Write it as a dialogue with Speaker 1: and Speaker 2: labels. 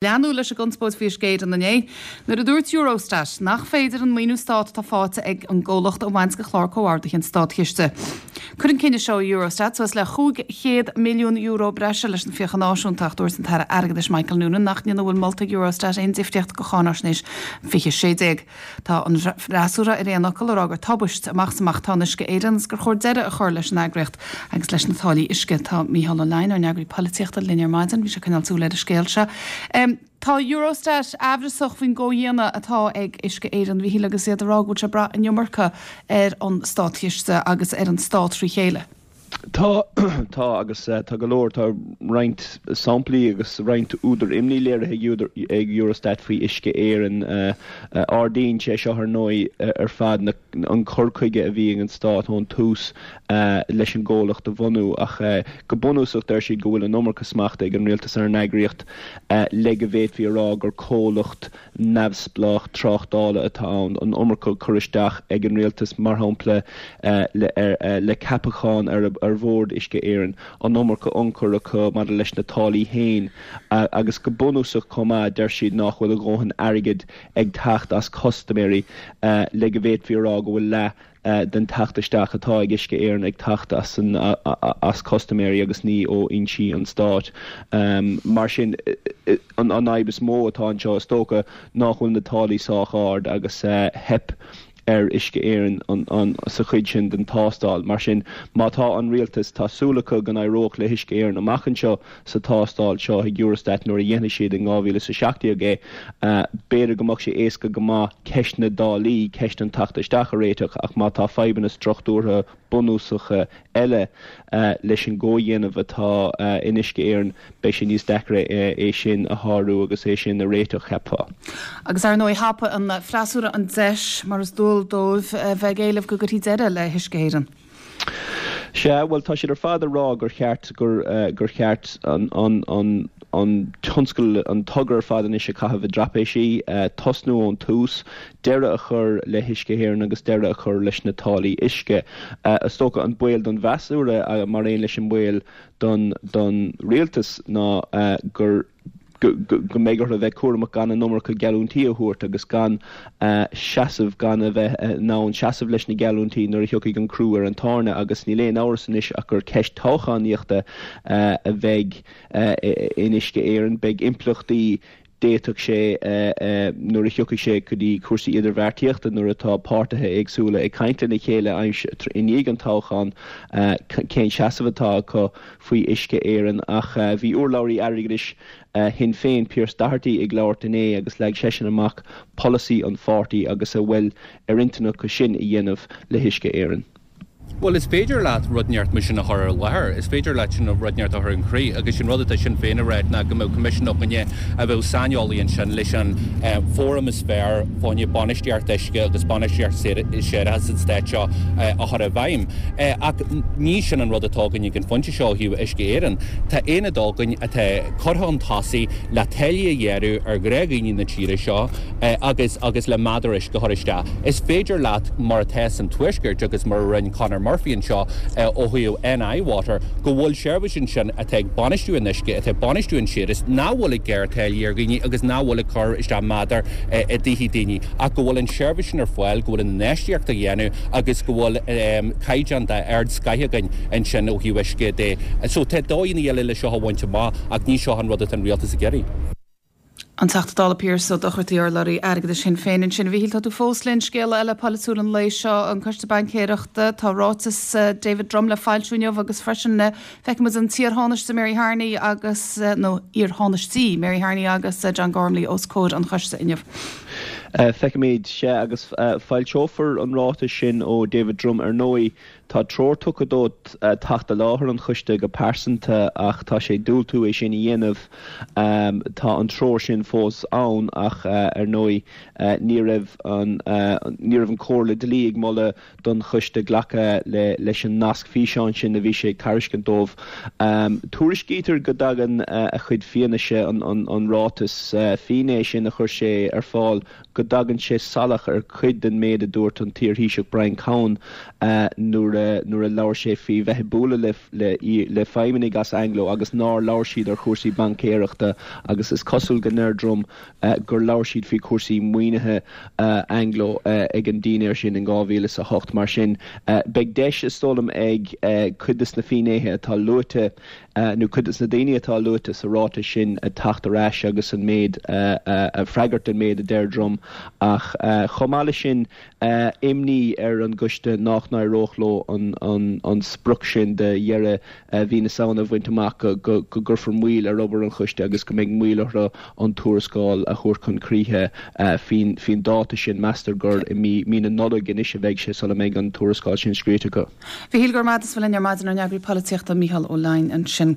Speaker 1: Leanadh leis an gconspóid faoi Uisce Éireann inné nuair a dúirt Eurostat nach féidir an maoiniú stát atá faighte ag an gcomhlacht a bhaint de chlár comhardaithe an státchiste. Cuireann cinneadh seo Eurostat suas le €500 milliún breise leis na fiacha náisiúnta ach dúirt an tAire Airgeadais Michael Noonan nach ndéanfaidh a bhfuil molta ag Eurostat aon difríocht do cháináisnéis 2016. Tá an freasúra ar aon fhocal ag rá gur tubaist amach is amach atá in Uisce Éireann agus gur chóir deireadh a chur leis an eagraíocht agus leis na táillí uisce. Tá Mícheál Ó Leidhin, ár n-eagraí polaitíochta, linn ar maidin. Bhí sé ag coinneáil súil ar an scéal seo. Tá Eurostat aimhreasach faoin gcomhdhéanamh atá ag Uisce Éireann, a Mhíchíl, agus iad ag rá go bhfuil sé ag brath an iomarca ar an státchiste agus ar an stát trí chéile.
Speaker 2: Tá, tá, agus tá go leor, tá roinnt samplaí agus roinnt údar imní léirithe ag Eurostat faoi Uisce Éireann. Ardaíonn sé seo ar ndóigh ar fad an cur chuige a bhí ag an stát ón tús leis an gcomhlacht a bhunú ach go bunúsach deir siad go bhfuil an iomarca smachta ag an rialtas ar an eagraíocht le go bhféadfaí a rá gur comhlacht neamhspleách tráchtála atá ann, an iomarca cur isteach ag an rialtas, mar shampla, le ceapacháin ar bhord Uisce Éireann, an iomarca ionchur acu maidir leis na táillí féin agus go bunúsach chomh maith, deir siad nach bhfuil a dhóthain airgid ag teacht as custaiméirí le go bhféadfaí a rá go bhfuil leath den teacht isteach atá ag Uisce Éireann ag teacht as an as custaiméirí agus ní ó fhoinsí an stáit. Mar sin, an fhadhb is mó atá anseo is dócha nach bhfuil na táillí sách ard agus theip ar Uisce Éireann an sa chuid sin den tástáil. Mar sin, má tá an rialtas, tá súil acu go n-éireodh le hUisce Éireann amach anseo sa tástáil seo ag Eurostat nuair a dhéanfaidh siad in 2017 é, b'fhéidir go mbeadh sé éasca go maith ceist na dtáillí, ceist an teacht isteach a réiteach ach má tá fadhbanna struchtúrtha bunúsacha eile leis an gcomhdhéanamh atá in Uisce Éireann, beidh sé níos deacra é sin a shárú agus é sin a réiteach, cheapfá.
Speaker 1: Agus ar ndóigh thapaigh an freasúra an deis, mar is dual dóibh, a bheith ag éileamh go gcuirfí deireadh le hUisce Éireann.
Speaker 2: Sea, bhuel, tá siad ar fad ag rá gur cheart, gur, gur cheart an, an, an, an tionscal, an togra ar fad anois a chaitheamh i dtrapéisí, tosnú ón tús, deireadh a chur le hUisce Éireann agus deireadh a chur leis na táillí uisce. Is dócha an baol don bhfreasúra, mar aon leis an mbaol don, don rialtas ná gur, go mbeidh orthu a bheith cúramach gan an iomarca geallúintí a thabhairt agus gan seasamh, gan a bheith in ann seasamh leis na geallúintí nuair a thiocfaidh an crú ar an tairne agus níl aon amhras anois ach gur ceist toghchánaíochta a bheidh in Uisce Éireann. Beidh impleachtaí d'fhéadfadh sé nuair a thiocfaidh sé go dtí cúrsaí idirbheartaíochta nuair atá páirtithe éagsúla ag caint lena chéile i ndiaidh an toghcháin cén seasamh atá acu. faoi Uisce Éireann ach bhí urlabhraí airgeadais Shinn Féin, Pearse Doherty ag labhairt inné agus leag seisean amach polasaí an pháirtí agus a bhfuil ar intinn acu sin a dhéanamh le hUisce Éireann.
Speaker 3: Bhuel, is féidir leat rud inteacht mar sin a chur ar láthair, is féidir leat sin rud inteacht a chur chun críche agus an rud atá Sinn Féin a ráit ná go mbeadh coimisiún againne a bheadh saineolaí ansin leis an fóram is fearr fá choinne bainistíocht uisce agus bainistíocht séarachais sa stát seo a chur i bhfeidhm. Ach ní sin an rud atá againn ag an phointe seo ó thaobh Uisce Éireann. Tá aonad againn atá curtha chun tosaigh le táillí a ghearradh ar ghnáthdhaoine na tíre seo agus agus le meadar uisce a chur isteach. Is féidir leat, mar atá san Tuaisceart agus mar a rinne Conor Murphy anseo ó thaobh NI Water, go bhfuil seirbhís ansin atá ag bainistiú an uisce, atá ag bainistiú an séarachais, nach bhfuil ag gearradh táillí ar dhaoine agus nach bhfuil ag cur isteach meadar i dtithe daoine ach go bhfuil an seirbhís sin ar fáil, go bhfuil an infheistíocht á dhéanamh agus go bhfuil caighdeán d'ardscoth againn ansin ó thaobh uisce de. So tá dóigheanna eile le seo a bhaint amach ach ní seo an rud atá an rialtas ag iarraidh.
Speaker 1: An Teachta Dála Pearse Ó Dochartaigh, urlabhraí airgeadais Shinn Féin ansin. A Mhíchíl, tá tú fós linn. Scéala eile polaitiúil an lae seo, an Coiste Baincéireachta. Tá ráiteas David Drumm le foilsiú inniu agus freisin feicfidh muid an t-iar-Thánaiste Mary Harney agus, nó iar-Thánaistí, Mary Harney agus John Gormley os comhair an choiste inniu.
Speaker 2: Feicfimid, sea, agus foilseofar an ráiteas sin ó David Drumm ar ndóigh. Tá treoir tugtha dó teacht i láthair an choiste go pearsanta ach tá sé ag diúltú é sin a dhéanamh. Tá an treoir sin fós ann ach ar ndóigh ní raibh an ní raibh an Chomhairle Dlí ag moladh don choiste glacadh leis an nasc físeáin sin a bhí sé ag tairiscint dóibh. Tuairiscítear go dtagann a chuid fianaise, an ráiteas finné sin a chuir sé ar fáil, go dtagann sé salach ar chuid den méid a dúirt an t-iarThaoiseach Brian Cowen nuair a. nuair a labhair sé faoi bheith ag bualadh le le feidhmeannaigh as Anglo agus nár labhair siad ar chúrsaí baincéireachta agus is cosúil go ndeir Drumm gur labhair siad faoi chúrsaí maoinithe Anglo ag an dinnéar sin in 2008. Mar sin, beidh deis, is dóigh liom, ag cuid de na finnéithe atá luaite, nó cuid de na daoine atá luaite sa ráiteas sin teacht ar ais agus an méid a freagairt don méid a deir Drumm. Ach chomh maith leis sin, imní ar an gcoiste nach n-éireodh leo an sprioc sin de dheireadh mhí na Samhna a bhaint amach, go gcuirfear moill ar obair an choiste agus go mbeidh moill orthu an tuarascáil a thabhairt chun críche faoin dáta sin. Meastar gur i mí na Nollag anois a bheidh sé sula mbeidh an tuarascáil sin scríte acu.
Speaker 1: Mhichíl, go raibh maith agat as a bheith linn ar maidin, ár n-eagraí polaitíochta Mícheál Ó Leidhin ansin.